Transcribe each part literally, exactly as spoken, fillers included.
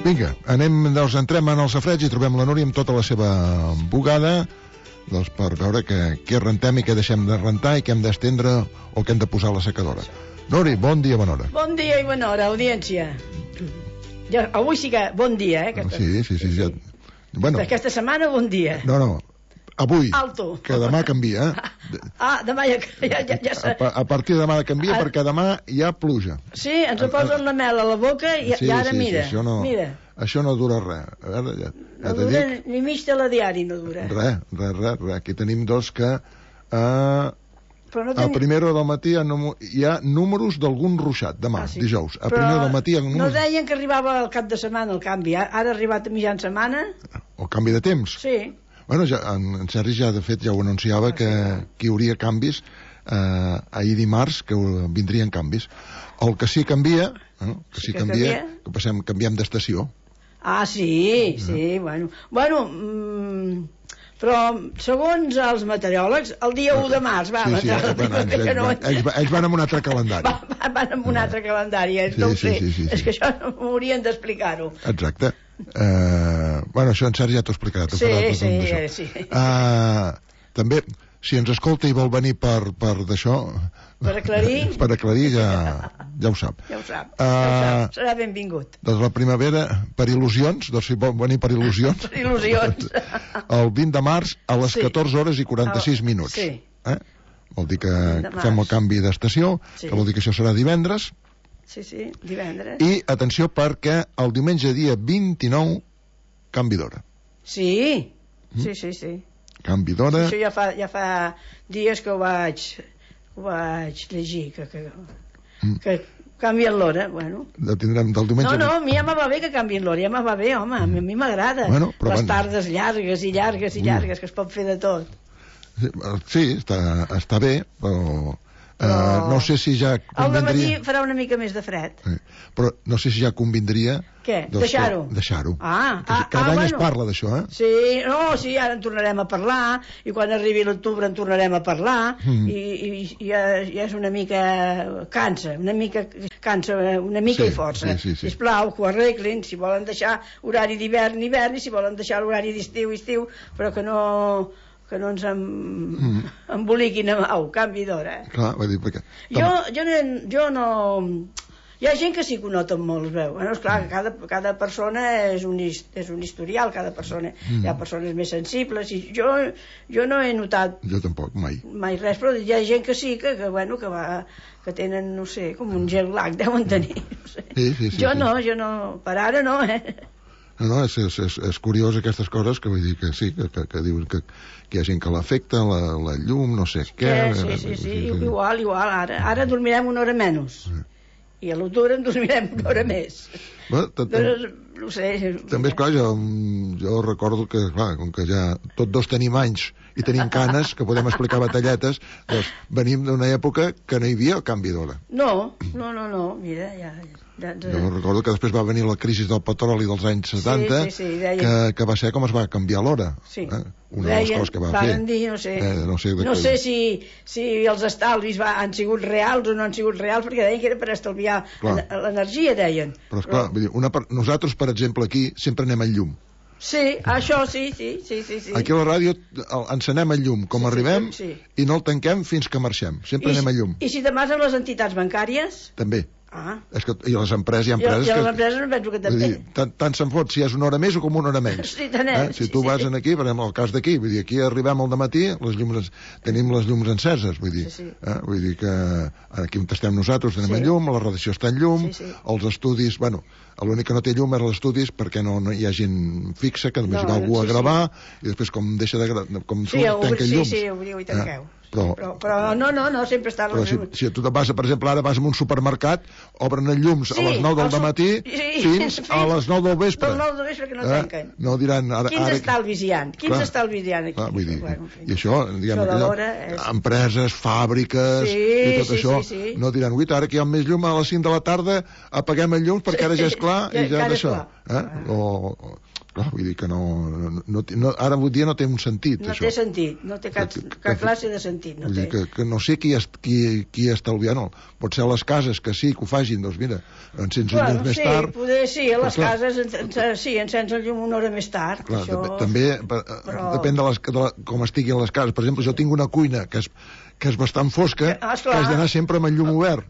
Vinga, anem, doncs entrem en el safareig i trobem la Núria amb tota la seva bugada, doncs per veure què, què rentem i què deixem de rentar i què hem d'estendre o què hem de posar a la secadora. Núria, bon dia, bona hora. Bon dia i bona hora, audiència. Ja, avui sí que bon dia, eh? Aquesta... Sí, sí, sí. sí. Ja... Bueno, aquesta setmana bon dia. No, no, avui, Alto. Que demà canvia, eh? Ah, demà ja... ja, ja, ja... A, a partir de demà canvia ah. perquè demà hi ha pluja. Sí, ens ho posen la mel a la boca i, sí, i ara sí, mira, sí, això no, mira. Això no dura res. A veure, ja, ja no dura dic... ni mig de la diari, no dura. Res, res, res, res. Aquí tenim dos que... Uh, Però no ten... a primera hora del matí hi ha, hi ha números d'algun ruixat, demà, ah, sí. dijous. A Però primera hora del matí hi ha números... no deien que arribava al cap de setmana el canvi, ara ha arribat a mitjan setmana. El canvi de temps? Sí. Bueno, ja, en, en Sergi ja, de fet, ja ho anunciava, que, que hi hauria canvis eh, ahir dimarts, que vindrien canvis. El que sí canvia, eh, que sí, sí que canvia, canvia, que passem, canviem d'estació. Ah, sí, sí, eh. bueno. Bueno, mm, però segons els meteoròlegs, el dia u de març, va, sí, sí, ells, van, ells, ells, van, ells, ells van amb un altre calendari. Va, van amb un altre calendari, eh? Sí, no ho sí, sé. Sí, sí, sí. És que això no m'haurien d'explicar-ho. Exacte. Uh, bueno, això en Sergi ja t'ho explicarà. Sí, sí, sí. Uh, també, si ens escolta i vol venir per, per d'això... Per aclarir? Per aclarir, ja, ja ho sap. Ja ho sap, uh, ja ho sap. Serà benvingut. Doncs la primavera, per il·lusions, doncs si vol venir per il·lusions... Per il·lusions. El vint de març a les sí. catorze hores i quaranta-sis minuts. Sí. Eh? Vol dir que fem el canvi d'estació, sí. que vol dir que això serà divendres. Sí, sí, divendres. I, atenció, perquè el diumenge dia vint-i-nou, canvi d'hora. Sí, mm? sí, sí, sí. Canvi d'hora. Sí, això ja fa, ja fa dies que ho vaig, ho vaig llegir, que, que, mm. que canvien l'hora, bueno. La tindrem del diumenge... No, no, a mi ja me va bé que canvien l'hora, ja me va bé, home, a mi m'agrada. Bueno, les van... tardes llargues i llargues i llargues, que es pot fer de tot. Sí, està, està bé, però... Però... Uh, no sé si ja convindria... Al matí farà una mica més de fred. Sí. Però no sé si ja convindria... Què? Deixar-ho? Deixar-ho. Ah, ah, Cada ah, any bueno. es parla d'això, eh? Sí, no, sí, ara en tornarem a parlar, i quan arribi l'octubre en tornarem a parlar, mm. i, i, i ja, ja és una mica... cansa, una mica cansa, una mica sí, i força. Sí, sí, sí. Sisplau, que ho arreglin, si volen deixar horari d'hivern, hivern, i si volen deixar l'horari d'estiu, estiu, però que no... que no ens em... mm. emboliquin a mau, canvi d'hora. Eh? Clar, vull dir, perquè... Jo, jo, no, jo no... Hi ha gent que sí que ho nota molt, es veu. Bueno, esclar, mm. cada, cada persona és un, és un historial, cada persona. Mm. Hi ha persones més sensibles, i jo, jo no he notat... Jo tampoc, mai. Mai res, però hi ha gent que sí, que, que bueno, que va... que tenen, no sé, com un gel lag, deuen tenir, no sé. Sí, sí, sí, jo sí. no, jo no, per ara no, eh? No, no, és, és, és, és curiós aquestes coses que vull dir que sí, que, que, que diuen que, que hi ha gent que l'afecta, la, la llum, no sé què... Sí, sí, sí, sí, sí, igual, igual, ara, ara dormirem una hora menys. Sí. I a l'octubre en dormirem una hora més. Bueno, però, no sé... També, esclar, jo, jo recordo que, clar, com que ja tots dos tenim anys i tenim canes, que podem explicar batalletes, doncs venim d'una època que no hi havia el canvi d'hora. No, no, no, no, mira, ja... ja, ja... Jo recordo que després va venir la crisi del petroli dels anys setanta, sí, sí, sí, deien... que, que va ser com es va canviar l'hora. Sí. Eh? Una de les coses que va fer. Dir, no sé, eh, no sé, no sé si, si els estalvis va, han sigut reals o no han sigut reals, perquè deien que era per estalviar l'energia, deien. Però, esclar, Però... Dir, una, nosaltres, per exemple, aquí sempre anem al llum. Sí, això sí, sí, sí, sí, sí. Aquí a la ràdio encenem el llum, com sí, arribem, sí, sí. i no el tanquem fins que marxem. Sempre I, anem al llum. I si demà amb les entitats bancàries? També. Ah. És que, i les empreses, hi ha empreses I, i les que... empreses no penso que també. Dir, tant, tant se'n fot si és una hora més o com una hora menys. Sí, tant és. Eh? Si tu sí, vas sí. en aquí, per exemple, el cas d'aquí, vull dir, aquí arribem al dematí, les llums, tenim les llums enceses, vull dir, sí, sí. Eh? Vull dir que aquí on estem nosaltres tenim sí. el llum, la redacció està en llum, sí, sí. els estudis, bueno, l'únic que no té llum és els estudis perquè no, no hi ha gent fixa, que només no, hi va algú sí, a gravar, sí. I després com deixa de gravar, com sí, surt, tanca llums. Sí, sí, obriu i tanqueu. Eh? Però, però, però no, no, no, sempre està... Però si, si tu vas, per exemple, ara vas a un supermercat, obren els llums sí, a les nou del dematí sí, fins, fins a les nou del vespre. Del nou del vespre que no eh? tanquen. No diran... Ara, Quins ara... estalvis hi ha? Quins clar, estalvis hi ha aquí? Clar, vull dir, bueno, i això, diguem, això allò, és... empreses, fàbriques sí, i tot sí, això, sí, sí. no diran, uita, ara que hi ha més llum a les cinc de la tarda, apaguem el llum perquè ara ja és clar ja, i ja és això. Eh? O, o, Esclar, vull dir que no, no, no, no... Ara avui dia no té un sentit, no això. No té sentit, no té cap, que, que, cap classe de sentit. No vull té. dir que, que no sé qui, est, qui, qui estalviant el... Pot ser a les cases, que sí, que ho fagin, doncs mira, encens el llum més sí, tard... Poder, sí, a les clar, cases en, en, sí, encens el llum una hora més tard. Clar, això... també però... depèn de, les, de la, com estiguin les cases. Per exemple, jo tinc una cuina que és, que és bastant fosca, ah, que has d'anar sempre amb el llum obert.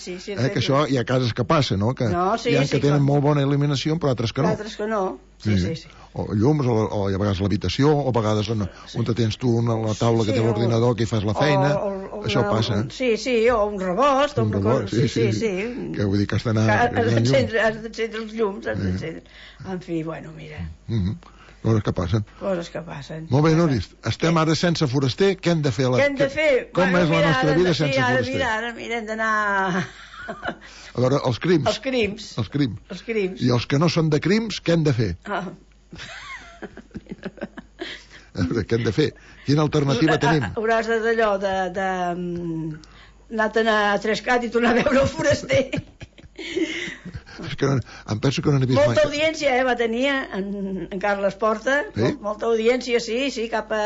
Sí, sí, eh, que això hi ha cases que passa, no? Que no, sí, hi ha sí, que tenen clar. molt bona il·luminació, però altres que no. Altres que no, sí, sí, sí. sí. O llums, o, o a vegades l'habitació, o a vegades on, sí. on tens tu una, la taula sí, que té l'ordinador que hi fas la feina. O, o, o això una, passa. Un, sí, sí, o un rebost. Un rebost, sí, sí, sí, sí. Que vull dir que has d'anar... Has d'encendre els llums, has d'encendre. En fi, bueno, mira... Mm-hmm. Coses que passen. Coses que passen. Molt bé, Noris. Estem ara sense foraster. Què hem de fer? La... Què hem de fer? Com bueno, és la mira, nostra vida sense sí, ara, foraster? Mira, ara mira, hem d'anar... A veure, els crims. Els crims. Els crims. Els crims. I els que no són de crims, què hem de fer? Ah. A veure, què hem de fer? Quina alternativa tenim? Hauràs d'allò de... de... anar-te'n a Trescat i tornar a veure el foraster. És que no, em penso que no n'he vist molta mai. Audiència, eh, va tenir en, en Carles Porta, sí? Molta audiència, sí, sí, cap a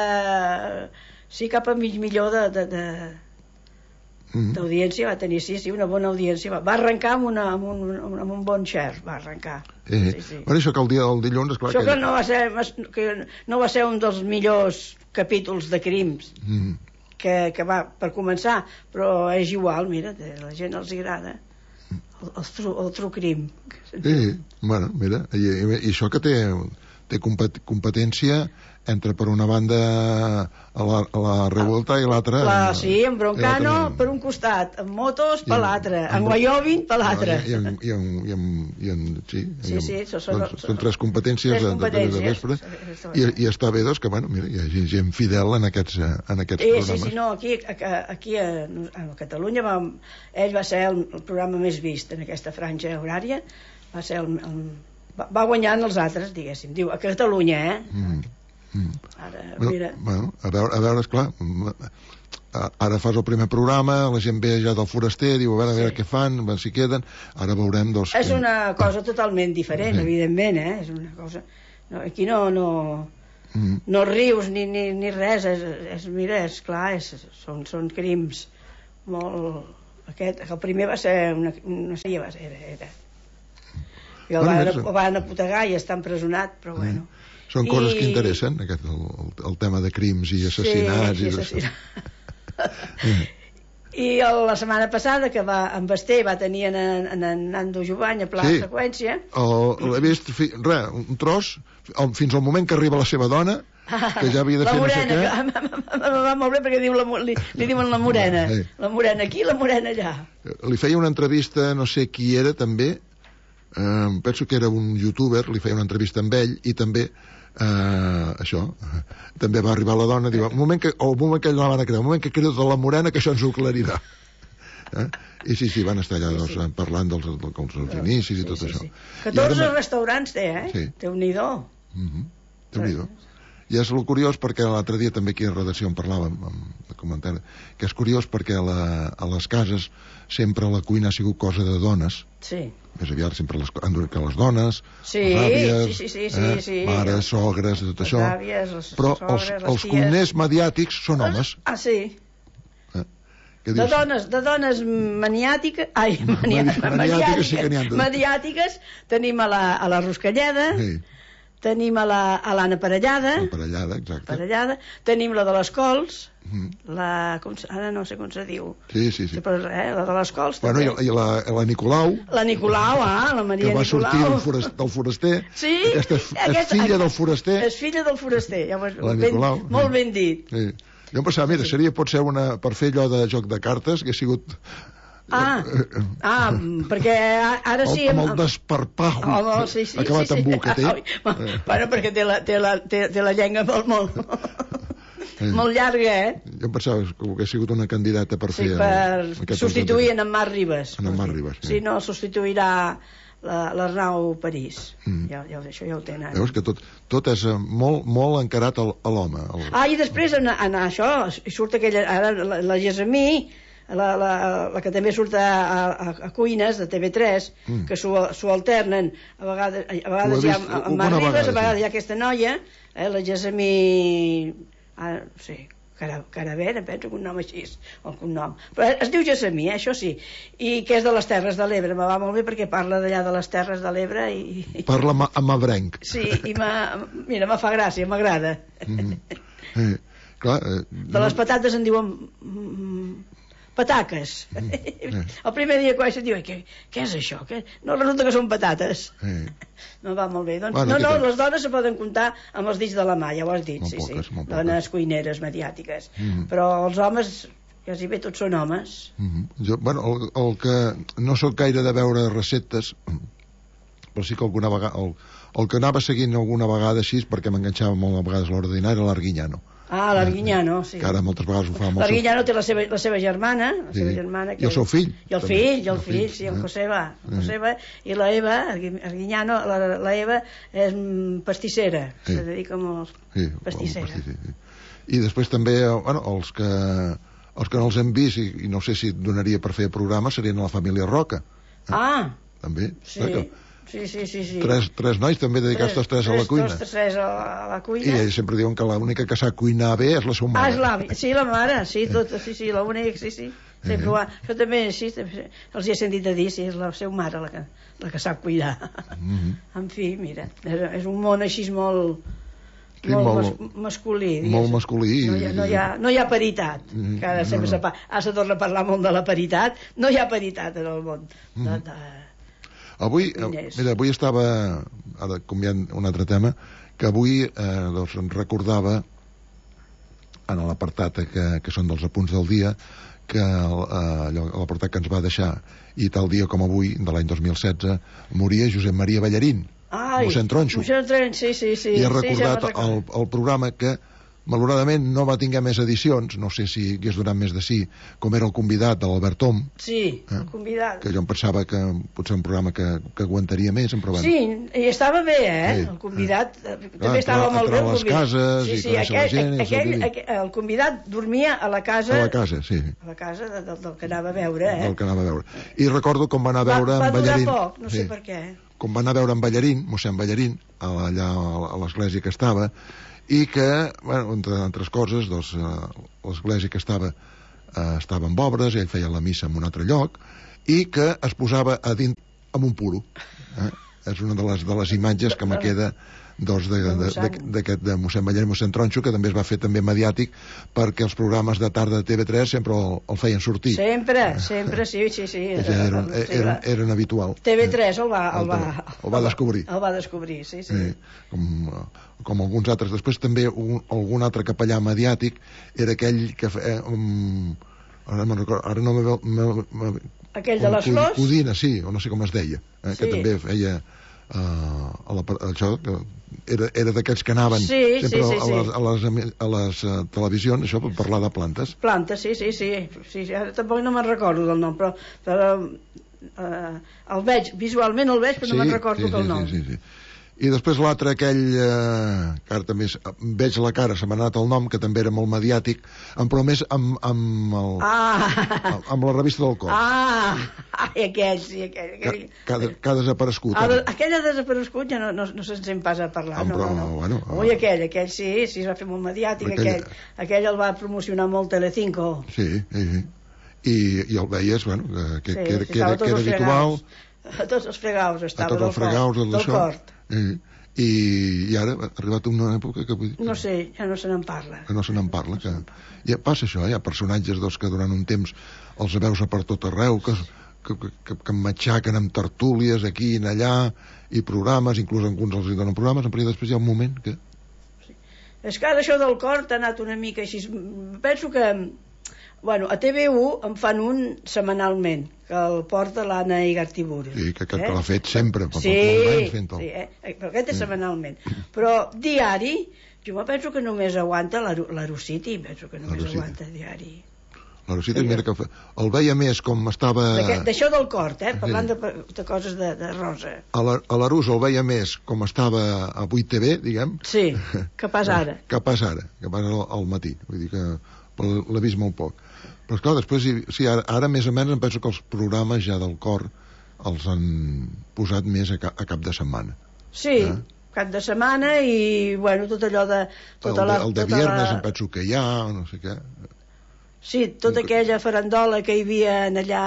sí, cap a mig milió de, de, de mm. d'audiència va tenir, sí, sí, una bona audiència, va, va arrencar amb, una, amb, un, amb un bon share, va arrencar. Eh, sí, sí. Bueno, això que el dia del dilluns, esclar... Això que, que, no va ser, que no va ser un dels millors capítols de crims mm. que, que va, per començar, però és igual, mira, a la gent els agrada. El, el, tru, el true crim. Sí, bueno, mira, i, i, i això que té, té competència entre, per una banda, a la, a la Revuelta i l'altra... Sí, en Broncano per un costat, en motos per l'altre, en Wyoming per l'altre. I en... I en, i en, i en sí, sí, sí, són, són, doncs, són tres competències, tres de, competències de, de vespre. I, I està bé, doncs, que, bueno, mira, hi ha gent fidel en aquests, en aquests sí, programes. Sí, sí, no, aquí, aquí a, a Catalunya va, ell va ser el, el programa més vist en aquesta franja horària, va ser el, el va, va guanyant els altres, diguéssim, diu, a Catalunya, eh? Mm. Mm. Ara, bueno, mira... bueno, a veure, a veure, esclar, ara fas el primer programa, la gent ve ja del foraster, diu, a veure, a veure sí. què fan, a veure si queden, ara veurem dos... És una cosa totalment diferent, sí. evidentment, eh? És una cosa... No, aquí no... no... Mm. no rius ni, ni, ni res, és, és, mira, és clar, és, són, són crims molt... Aquest, el primer va ser una, una sèrie, va ser, era, era. I el bueno, van, el van apotegar i està empresonat, però mm. bueno. Són I... coses que interessen, aquest, el, el, el tema de crims i assassinats. Sí, i assassinats. I el, la setmana passada, que va en Basté va tenir en, en, en Nando Jovany a pla sí. seqüència. L'he vist, fi, res, un tros, fins al moment que arriba la seva dona, que ja havia de la fer morena, no sé què. Que, va molt bé perquè diu la, li, li diuen la morena. Sí. La morena aquí, la morena allà. Li feia una entrevista, no sé qui era, també, eh, penso que era un youtuber, li feia una entrevista amb ell, i també Uh, això, també va arribar la dona, diu, el moment que, o el moment que ella la van a cridar, el moment que crida la morena, que això ens ho aclarirà. Eh? I sí, sí, van estar allà sí, sí. parlant dels, dels, dels, dels inicis sí, i tot sí, això. Sí. catorze ara... restaurants té, eh? Sí. Déu-n'hi-do. Mm-hmm. Déu-n'hi-do. I és el curiós perquè l'altre dia també aquí a redacció en parlàvem, amb el comentari, que és curiós perquè a, la, a les cases sempre la cuina ha sigut cosa de dones. Sí. Més aviat sempre les, que les dones, sí, les àvies, sí, sí, sí, eh, sí, mares, sogres, tot això. Les àvies, les però sogres, els, els cuiners mediàtics són homes. Ah, sí. Eh? De dones, de dones maniàtiques, ai, maniàtiques, maniàtiques, sí que mediàtiques, tenim a la, a la Ruscalleda, sí. Tenim a l'Anna la, Parellada, Parellada, exacte. Parellada, tenim la de les Cols, mm. la, com, ara no sé com se diu. Sí, sí, sí. Però, eh, la de les Cols bueno, també. I la, la Nicolau. La Nicolau, ah, la Maria Nicolau. Que va Nicolau. sortir del foraster. Del foraster. Sí. Aquesta és, aquesta, és filla del foraster. És filla del foraster, ja ho la Nicolau. Ben, molt ben dit. Sí. Jo em pensava, mira, seria potser una, per fer allò de joc de cartes, que ha sigut... Ah, ah, perquè ara sí... El, amb el desparpajo oh, no, sí, sí, acabat sí, sí. amb U que té. Oh, bueno, perquè té la, té la, té, té la llengua molt, molt, eh. molt llarga, eh? Jo em pensava que hauria sigut una candidata per sí, fer... Sí, per substituir en Mar Ribas. En Mar Ribas, sí. Si no, substituirà l'Arnau París. Mm. Ja, ja, això ja ho tenen. Veus que tot, tot és molt, molt encarat a l'home. El... Ah, i després en, en això, surt aquella... Ara la, la Gesamí la, la, la que també surt a, a, a Cuines, de T V tres, mm. que s'ho alternen, a vegades, a vegades hi ha en Mar Ribes, a vegades sí. Hi ha aquesta noia, eh, la Gessamí... Ah, no sé... Caravera, penso que un nom així, o un nom. Però es diu Gessamí, eh, això sí, i que és de les Terres de l'Ebre, me va molt bé perquè parla d'allà de les Terres de l'Ebre i... Parla amb abrenc. Sí, i mira, me fa gràcia, m'agrada. Mm. Eh, clar... Eh, de les patates en diuen... pataques. Mm. Eh. El primer dia que vaig dir, què, què és això? Què? No, resulta que són patates. Eh. No va molt bé. Doncs, bueno, no, no, les dones se poden comptar amb els dits de la mà, ja ho has dit. Molt sí, poques, sí. Dones cuineres mediàtiques. Mm. Però els homes, quasi bé tots són homes. Mm. Jo, bueno, el, el que no sóc gaire de veure receptes, però sí que alguna vegada... El, el que anava seguint alguna vegada així, perquè m'enganxava molt a vegades l'hora de dinar, era l'Arguiñano. Ah, l'Arguiñano, sí. Que ara moltes vegades ho fa molt... L'Arguiñano té la seva, la seva germana, la sí. seva germana que... I el seu fill. I el fill, i el fill, sí, el Joseba. El Joseba i la Eva, Arguiñano, la, la Eva és pastissera, sí. Se dedica molt sí, pastissera. Sí, sí. I després també, bueno, els que els que no els hem vist, i, i no sé si donaria per fer programa, serien la família Roca. Eh? Ah! També. Sí. Que, Sí, sí, sí, sí. Tres, tres nois també dedicats tots tres, tres a la cuina. Tots tres a la, a la cuina. I ells sempre diuen que l'única que sap cuinar bé és la seva mare. Ah, és l'avi. Sí, la mare, sí, tot, sí, sí, l'única, sí, sí. Sempre eh. ho ha... Això també, sí, els hi he sentit a dir, sí, és la seva mare la que, la que sap cuidar. Mm -hmm. En fi, mira, és, és un món així molt... Sí, molt, molt mas, masculí. Digues. Molt masculí. No hi ha, no hi ha, no hi ha paritat. Mm, que ara sempre no, no. Se, ara se torna a parlar molt de la paritat. No hi ha paritat en el món. Mm. De, de, Avui, mira, avui estava, ara canviant un altre tema, que avui eh, doncs, em recordava, en l'apartat que, que són dels apunts del dia, que eh, l'apartat que ens va deixar, i tal dia com avui, de l'any dos mil setze, moria Josep Maria Ballarín, Ai, mossèn Tronxo. Mossèn Tronxo, sí, sí, sí. I he recordat sí, ja el, el programa que malauradament no va tinguer més edicions, no sé si hagués donat més de sí, com era el convidat de l'Albert Tom. Sí, eh? El convidat. Que jo em pensava que potser un programa que, que aguantaria més, però bueno. Sí, i estava bé, eh? Sí. El convidat eh. també ah, estava molt bé. A les cases sí, i sí, conèixer la gent. Aquell, aquell, el convidat dormia a la casa... A la casa, sí. A la casa de, del, del que anava a veure, eh? Del que anava a veure. I recordo com va anar a veure va, en Ballarín. Va durar poc, no sí. sé per què. Com va anar a veure en Ballarín, mossèn Ballarín, allà a l'església que estava, i que, bueno, entre altres coses, doncs, eh, l'església que estava eh, estava amb obres, ell feia la missa en un altre lloc, i que es posava a dins amb un puro. Eh? És una de les, de les imatges que me queda doncs, d'aquest de, de, de mossèn Ballarín i mossèn Tronxo, que també es va fer també mediàtic perquè els programes de tarda de T V tres sempre el, el feien sortir. Sempre, sempre, sí, sí, sí. Ja eren, eren, eren habitual. T V tres el va, el va, el va descobrir. El va descobrir, sí, sí. sí com, com alguns altres. Després també un, algun altre capellà mediàtic era aquell que... Eh, um, ara, recordo, ara no me veu... Me, me, aquell de les flors? Codina, sí, o no sé com es deia, eh, sí. Que també feia... Uh, a la, això que era, era d'aquells que anaven sí, sempre sí, sí, a les, a les, a les uh, televisions, això per parlar de plantes. Plantes, sí, sí, sí, sí, sí. Ara tampoc no me'n recordo del nom, però, però uh, el veig, visualment el veig, però sí, no me'n recordo sí, sí, el nom. Sí, sí, sí. I després l'altre, aquell, eh, que ara també veig la cara, se m'ha anat el nom, que també era molt mediàtic, però més amb, amb, el, ah. amb la revista del cor. Ah, ai, aquell, sí, aquell. aquell. Que, que, ha, que ha desaparegut. Ah, aquell ha desaparegut, ja no, no, no se'n sent pas a parlar. Ah, però, no, no. Bueno, Ui, aquell, aquell sí, sí, es va fer molt mediàtic, aquell, aquell, aquell el va promocionar molt Telecinco. Sí, sí, sí. I, i el veies, bueno, que, sí, que, que, que era, que era habitual. A tots els fregaus estava, a tots els fregaus, del, del cort. I, i, i ara ha arribat una època que... Vull dir, no sé, ja no se n'en parla. Que no se n'en parla. Que, ja passa això, hi ha personatges doncs, que durant un temps els veus a per tot arreu, que, que, que, que matxaquen amb tertúlies aquí i allà, i programes, inclús alguns els donen programes, però després hi ha un moment que... Sí. És que ara això del cort ha anat una mica així... Penso que... Bueno, a T V u en fan un setmanalment, que el porta l'Anna Igartiburu. Sí, que, que, eh? que l'ha fet sempre, per sí, molt anys fent-ho. Sí, eh? però aquest és sí. setmanalment. Però diari, jo me penso que només aguanta l'Arociti, penso que només aguanta diari. L'Arociti, mira que el veia més com estava... D'això del cort, eh? Parlant sí. de, de coses de, de rosa. A l'Arús el veia més com estava a vuit T V, diguem. Sí, que pas ara. Que pas ara, que pas al, al matí. Vull dir que l'he vist molt poc. Però esclar, després, sí, ara, ara més o menys em penso que els programes ja del cor els han posat més a, ca, a cap de setmana. Sí, eh? Cap de setmana i, bueno, tot allò de... Tota el, de, la, el de tota viernes la... em penso que hi ha, no sé què. Sí, tota aquella farandola que hi havia allà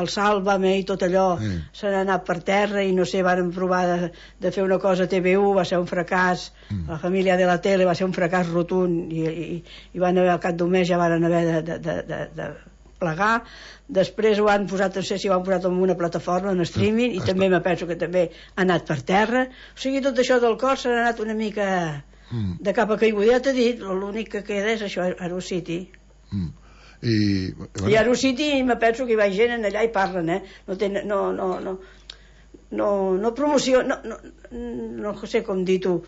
al Sálvame i tot allò sí. Se n'ha anat per terra i no sé, varen provar de, de fer una cosa a T V u, va ser un fracàs, mm. La família de la tele va ser un fracàs rotund i, i, i van haver, al cap d'un mes ja van haver de, de, de, de, de plegar. Després ho han posat, no sé si ho han posat en una plataforma, en streaming, mm. i també me penso que també ha anat per terra. O sigui, tot això del cor s'ha anat una mica mm. de cap a caiguda. Ja t'he dit, l'únic que queda és això, Aerocity. Mm. I, bueno. I a Aerocity me penso que hi va gent allà i parlen, eh? No, ten, no, no, no, no, no promoció, no, no, no sé com dir tu,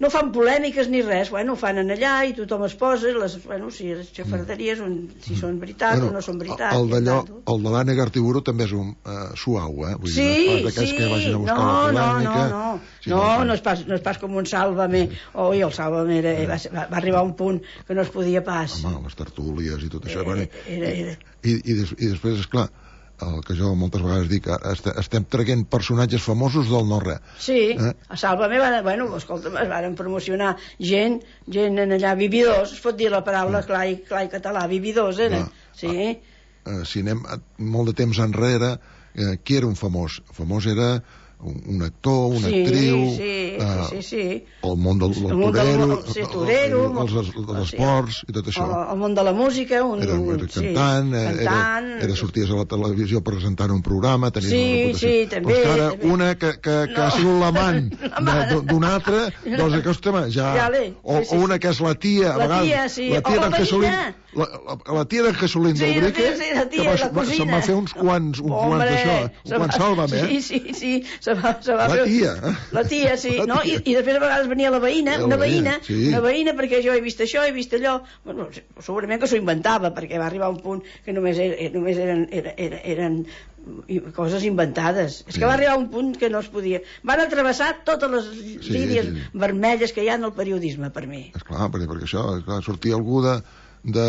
no fan polèmiques ni res, bueno, ho fan allà i tothom es posa, les, bueno, si les xafarderies, un, si són veritat bueno, o no són veritat. El d'allò, el de l'Anna Gartiburu també és un uh, suau, eh? Vull sí, dir, no és sí, que vagin a buscar no, la polèmica. No, no, no, sí, no, no, és pas, no és pas com un Sálvame, sí. Oi, el Sálvame era, va, va, va arribar a un punt que no es podia pas. Home, les tertúlies i tot això. Era, era, era. I, i, des, i després, esclar, el que jo moltes vegades dic, estem traient personatges famosos del no-res. Sí, eh? A Sálvame, van, bueno, escolta'm, es van promocionar gent, gent en allà, vividors, es pot dir la paraula clar i, clar i català, vividors, eh? Sí. Ah, si anem molt de temps enrere, eh, qui era un famós? El famós era un, un actor, una sí, actriu, sí, eh, sí, sí. el món del, del el torero, del, sí, torero els, els, els esports sí. I tot això. El, el món de la música, un, era, era cantant, sí, era, cantant, era sorties a la televisió presentant un programa, tenies sí, una reputació. Sí, també. Però ara també. una que, que, que no. Ha sigut l'amant d'un altre, doncs aquesta ja... ja o, sí, sí, o una que és la tia, a la vegades, tia, sí. la tia o d'en Jesulín, la, la, la tia d'en Jesulín sí, del Brique, sí, la tia, que la va, se'n va fer uns quants, uns quants d'això, un quants Sálvame, eh? Sí, sí, sí, se va, se va la fer... tia, eh? La tia, sí, la tia. No? I, I després a vegades venia la veïna, una veïna, sí. Una veïna perquè jo he vist això, he vist allò, bueno, segurament que s'ho inventava, perquè va arribar a un punt que només, era, només eren, eren, eren, eren coses inventades. És que va arribar a un punt que no es podia... Van atravessar totes les sí, línies sí, sí. vermelles que hi ha en el periodisme, per mi. Esclar, perquè, perquè això, esclar, sortia algú de... de...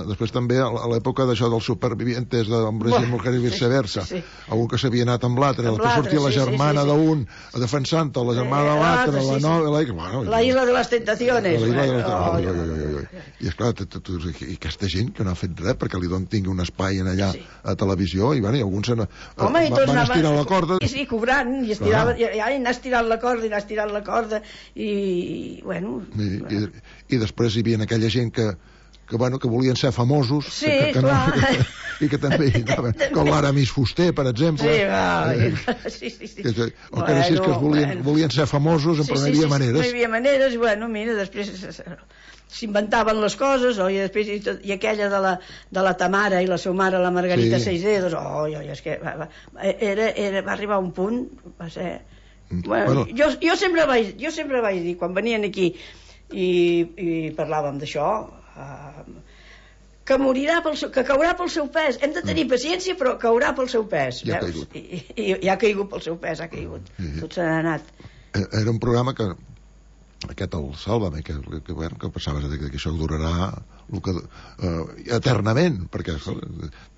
després també a l'època d'això dels supervivientes d'hombres bueno, i mujeres i viceversa sí, sí. Algú que s'havia anat amb l'altre, després sortia la germana sí, sí, sí. d'un defensant-te, la germana de l'altre, la nova la, bueno, la isla de les tentaciones la isla de les oh, oh, oh, oh. I esclar, i aquesta gent que no ha fet res perquè li tingui un espai en allà sí. A televisió i, bueno, i alguns van, Home, i van estirar la corda i sí, cobrant, i, estirava, i, i anar estirant la corda i anar estirant la corda i, bueno i, i, i després hi havia aquella gent que que, bueno, que volien ser famosos sí, que, que clar. No, i que també anaven, com l'Aramis Fuster, per exemple sí, va, eh, sí, sí, sí. Que, o que, bueno, sí, que volien, bueno. volien ser famosos, però sí, no hi havia sí, maneres no hi havia maneres, bueno, mira, després s'inventaven les coses, oh, i després i, tot, i aquella de la, de la Tamara i la seva mare, la Margarita sí. Seisdedos, oh, oh, és que va, va, era, era, va arribar a un punt, va ser... Bueno, bueno. Jo, jo, sempre vaig, jo sempre vaig dir, quan venien aquí i, i parlàvem d'això, uh, que morirà pel seu, que caurà pel seu pes. Hem de tenir paciència, però caurà pel seu pes. I ha veus? caigut. I, i, i ha caigut pel seu pes, ha caigut. Sí. Tot se n'ha anat. Era un programa que aquest el Sálvame, que, que, bueno, que pensaves que, que això durarà que, uh, eternament, perquè sí.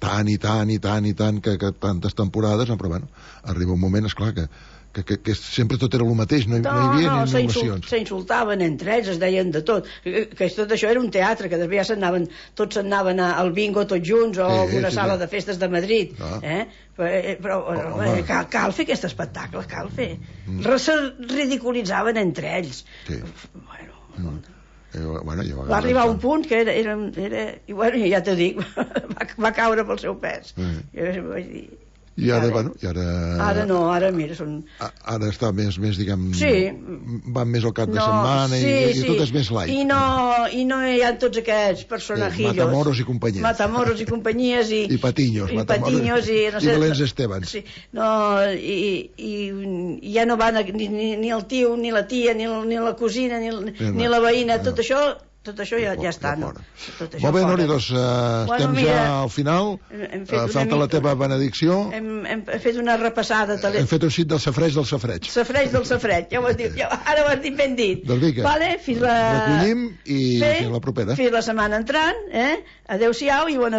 tant i tant i tant i tant que, que tantes temporades, però bueno, arriba un moment, esclar, que Que, que, que sempre tot era el mateix, no hi, no, no hi havia no, ni innovacions. S'insultaven entre ells, es deien de tot, que, que tot això era un teatre, que després ja s'anaven, tots s'anaven al bingo tots junts o a sí, una sí, sala sí. de festes de Madrid, ah. eh? però, però oh, eh, cal, cal fer aquest espectacle, cal fer. Mm. Se ridiculitzaven entre ells. Sí. Bueno... Mm. Eh, bueno, ja va, va arribar a un punt que era, era, era i bueno, ja t'ho dic, va, va caure pel seu pes. Mm. Jo vaig dir... I ara, ara, bueno, i ara... Ara no, ara, mira, són... Ara està més, més diguem... Sí. Van més al cap de no, setmana sí, i, i sí. tot és més light. I no, i no hi ha tots aquests personajillos. Sí, Matamoros i companyies. Matamoros i companyies i... I Patiños. I Patiños i... No sé, I Belén Estebans. Sí, no, i, i, i ja no van ni, ni, ni el tio, ni la tia, ni, ni la cosina, ni, no, ni la veïna, no. tot això... Tot això ja, ja està, no? Tot això molt bé, Nori, doncs uh, bueno, estem mira, ja al final. Hem fet uh, falta la teva benedicció. Hem, hem fet una repassada. Tele... Hem fet un cit del safreig del safreig. Safreig del safreig, ja ho has dit. Ja, ara ho has dit ben dit. Doncs vinga, vale, fins la... recollim i sí, fins la propera. Fins la setmana entrant, eh? Adéu-siau i bona